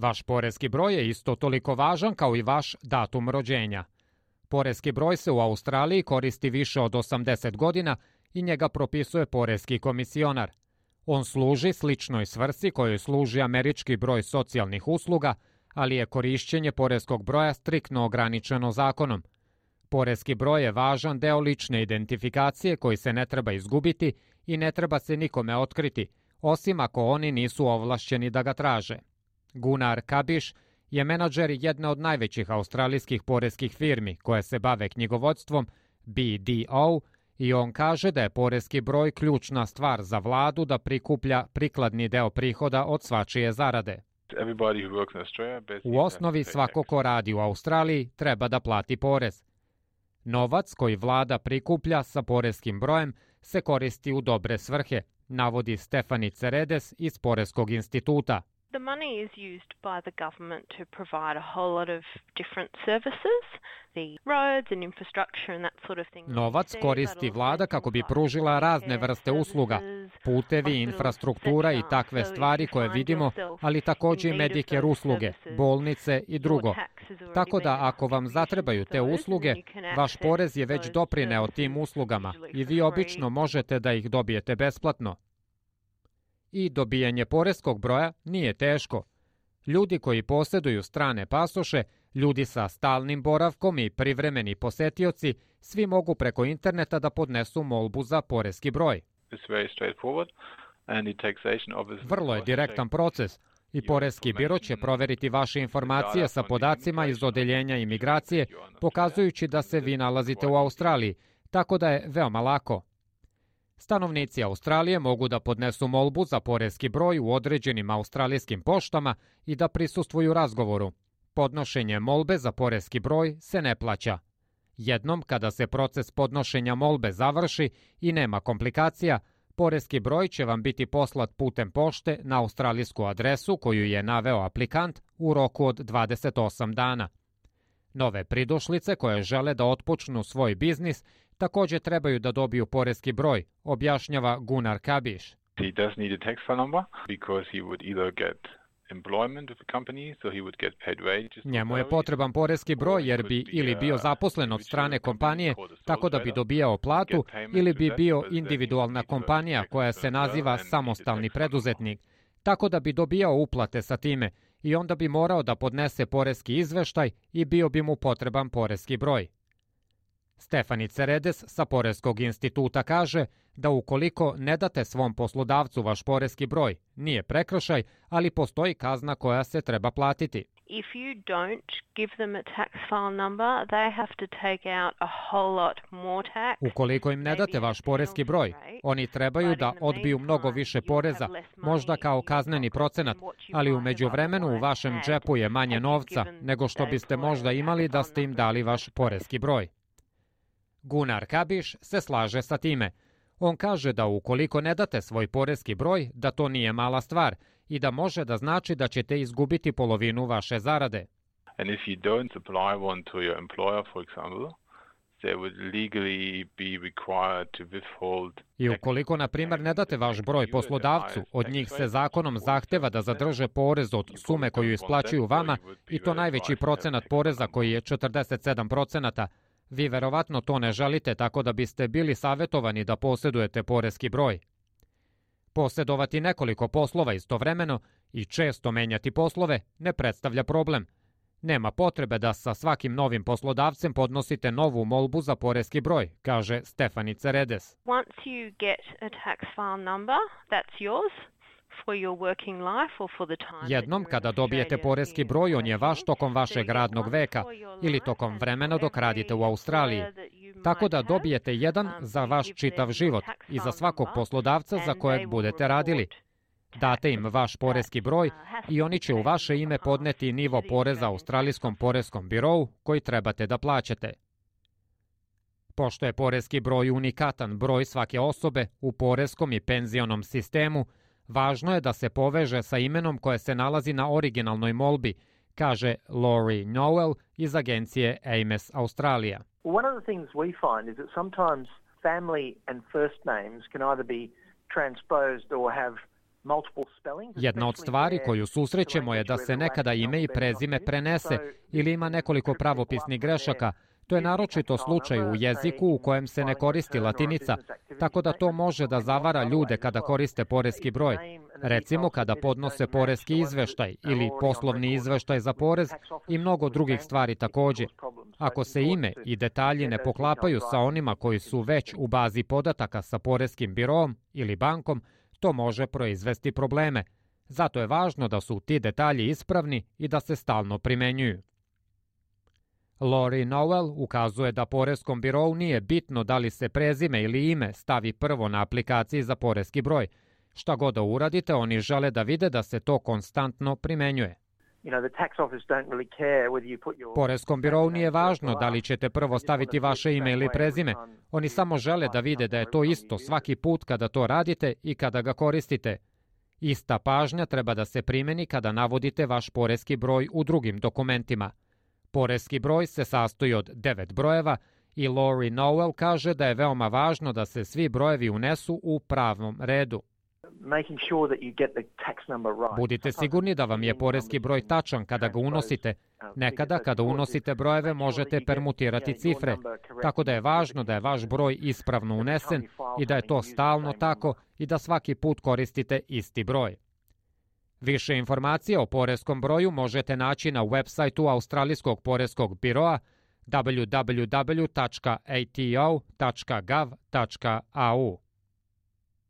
Vaš poreski broj je isto toliko važan kao i vaš datum rođenja. Poreski broj se u Australiji koristi više od 80 godina i njega propisuje poreski komisionar. On služi sličnoj svrsi kojoj služi američki broj socijalnih usluga, ali je korišćenje poreskog broja striktno ograničeno zakonom. Poreski broj je važan deo lične identifikacije koji se ne treba izgubiti i ne treba se nikome otkriti, osim ako oni nisu ovlašćeni da ga traže. Gunnar Kabiš je menadžer jedne od najvećih australijskih poreskih firmi koje se bave knjigovodstvom, BDO, i on kaže da je poreski broj ključna stvar za vladu da prikuplja prikladni deo prihoda od svačije zarade. U osnovi svako ko radi u Australiji treba da plati porez. Novac koji vlada prikuplja sa poreskim brojem se koristi u dobre svrhe, navodi Stefani Ceredes iz Poreskog instituta. The money is used by the government to provide a whole lot of different services, the roads and infrastructure and that sort of thing. Novac koristi vlada kako bi pružila razne vrste usluga, putevi, infrastruktura i takve stvari koje vidimo, ali takođe i Medicare usluge, bolnice i drugo. Tako da ako vam zatrebaju te usluge, vaš porez je već doprineo tim uslugama i vi obično možete da ih dobijete besplatno. I dobijanje poreskog broja nije teško. Ljudi koji posjeduju strane pasoše, ljudi sa stalnim boravkom i privremeni posetioci, svi mogu preko interneta da podnesu molbu za poreski broj. Vrlo je direktan proces i poreski biro će proveriti vaše informacije sa podacima iz odeljenja imigracije, pokazujući da se vi nalazite u Australiji, tako da je veoma lako. Stanovnici Australije mogu da podnesu molbu za poreski broj u određenim australijskim poštama i da prisustvuju razgovoru. Podnošenje molbe za poreski broj se ne plaća. Jednom kada se proces podnošenja molbe završi i nema komplikacija, poreski broj će vam biti poslat putem pošte na australijsku adresu koju je naveo aplikant u roku od 28 dana. Nove pridošlice koje žele da otpočnu svoj biznis takođe trebaju da dobiju poreski broj, objašnjava Gunnar Kabiš. He does need a tax file number because he would either get employment with a company, so he would get paid wages. Njemu je potreban poreski broj jer bi ili bio zaposlen od strane kompanije tako da bi dobijao platu ili bi bio individualna kompanija koja se naziva samostalni preduzetnik, tako da bi dobijao uplate sa time i onda bi morao da podnese poreski izveštaj i bio bi mu potreban poreski broj. Stefani Ceredes sa Poreskog instituta kaže da ukoliko ne date svom poslodavcu vaš poreski broj, nije prekršaj, ali postoji kazna koja se treba platiti. If you don't give them a tax file number, they have to take out a whole lot more tax. Ukoliko im ne date vaš poreski broj, oni trebaju da odbiju mnogo više poreza, možda kao kazneni procenat, ali u međuvremenu u vašem džepu je manje novca nego što biste možda imali da ste im dali vaš poreski broj. Gunnar Kabiš se slaže sa time. On kaže da ukoliko ne date svoj poreski broj, da to nije mala stvar i da može da znači da ćete izgubiti polovinu vaše zarade. And if you don't supply one to your employer, for example, they would legally be required to withhold. I ukoliko, na primjer, ne date vaš broj poslodavcu, od njih se zakonom zahteva da zadrže porez od sume koju isplaćuju vama i to najveći procenat poreza koji je 47%. Vi verovatno to ne želite, tako da biste bili savjetovani da posjedujete poreski broj. Posjedovati nekoliko poslova istovremeno i često menjati poslove ne predstavlja problem. Nema potrebe da sa svakim novim poslodavcem podnosite novu molbu za poreski broj, kaže Stefani Ceredes. Once you get a tax file number, that's yours. Jednom kada dobijete poreski broj, on je vaš tokom vašeg radnog veka ili tokom vremena dok radite u Australiji. Tako da dobijete jedan za vaš čitav život i za svakog poslodavca za kojeg budete radili. Date im vaš poreski broj i oni će u vaše ime podneti nivo poreza Australijskom poreskom birou koji trebate da plaćate. Pošto je poreski broj unikatan broj svake osobe u poreskom i penzionom sistemu, važno je da se poveže sa imenom koje se nalazi na originalnoj molbi, kaže Laurie Noel iz agencije Ames Australija. One of the things we find is that sometimes family and first names can either be transposed or have Jedna od stvari koju susrećemo je da se nekada ime i prezime prenese ili ima nekoliko pravopisnih grešaka. To je naročito slučaj u jeziku u kojem se ne koristi latinica, tako da to može da zavara ljude kada koriste poreski broj. Recimo kada podnose poreski izveštaj ili poslovni izveštaj za porez i mnogo drugih stvari također. Ako se ime i detalji ne poklapaju sa onima koji su već u bazi podataka sa poreskim biroom ili bankom, to može proizvesti probleme. Zato je važno da su ti detalji ispravni i da se stalno primenjuju. Lori Noel ukazuje da poreskom birou nije bitno da li se prezime ili ime stavi prvo na aplikaciji za poreski broj. Šta god da uradite, oni žele da vide da se to konstantno primenjuje. Poreskom birou nije važno da li ćete prvo staviti vaše ime ili prezime. Oni samo žele da vide da je to isto svaki put kada to radite i kada ga koristite. Ista pažnja treba da se primeni kada navodite vaš poreski broj u drugim dokumentima. Poreski broj se sastoji od 9 brojeva i Lori Noel kaže da je veoma važno da se svi brojevi unesu u pravom redu. Budite sigurni da vam je poreski broj tačan kada ga unosite. Nekada kada unosite brojeve možete permutirati cifre, tako da je važno da je vaš broj ispravno unesen i da je to stalno tako i da svaki put koristite isti broj. Više informacija o poreskom broju možete naći na websajtu Australijskog poreskog biroa www.ato.gov.au.